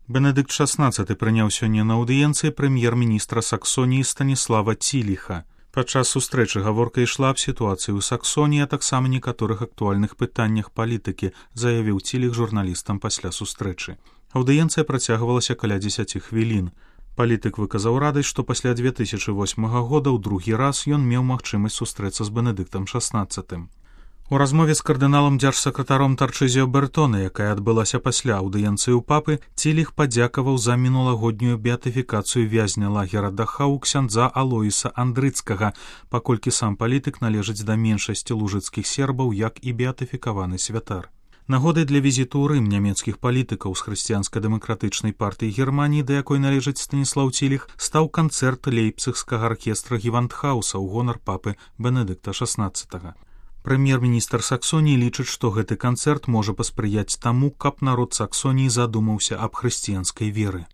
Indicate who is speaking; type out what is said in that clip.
Speaker 1: Бенедыкт XVI прыняў сёння на аўдыенцыі прэм'ер-міністра Саксоніі Станіслава Ціліха. Падчас сустрэчы гаворка ішла аб сітуацыі ў Саксоніі, а таксама некаторых актуальных пытаннях палітыкі, заявіў Ціліх журналістам пасля сустрэчы. Аўдыенцыя працягвалася каля 10 хвілін. Палітык выказаў радасць, што пасля 2008 года ў другі раз ён меў магчымасць сустрэцца з Бенедыктам XVI. У размове з кардыналам дзяржсакратаром Тарчызіо Бертоне, якая адбылася пасля аўдыенцыі ў папы, Ціліх падзякаваў за мінулагоднюю беатыфікацыю вязня лагера Дахау ксяндза Алоіса Андрыцкага, паколькі сам палітык належыць да меншасці лужыцкіх сербаў, як і беатыфікаваны святар. Нагодай для візіту ў Рым нямецкіх палітыкаў з хрысціянска-дэмакратычнай партыі Германіі, да якой належыць Станіслаў Ціліх, стаў канцэрт лейпцыгскага аркестра Гевандхауса ў гонар папы Бенедыкта XVI. Прэм'ер-міністр Саксоніі лічыць, што гэты канцэрт можа паспрыяць таму, каб народ Саксоніі задумаўся аб хрысціянскай веры.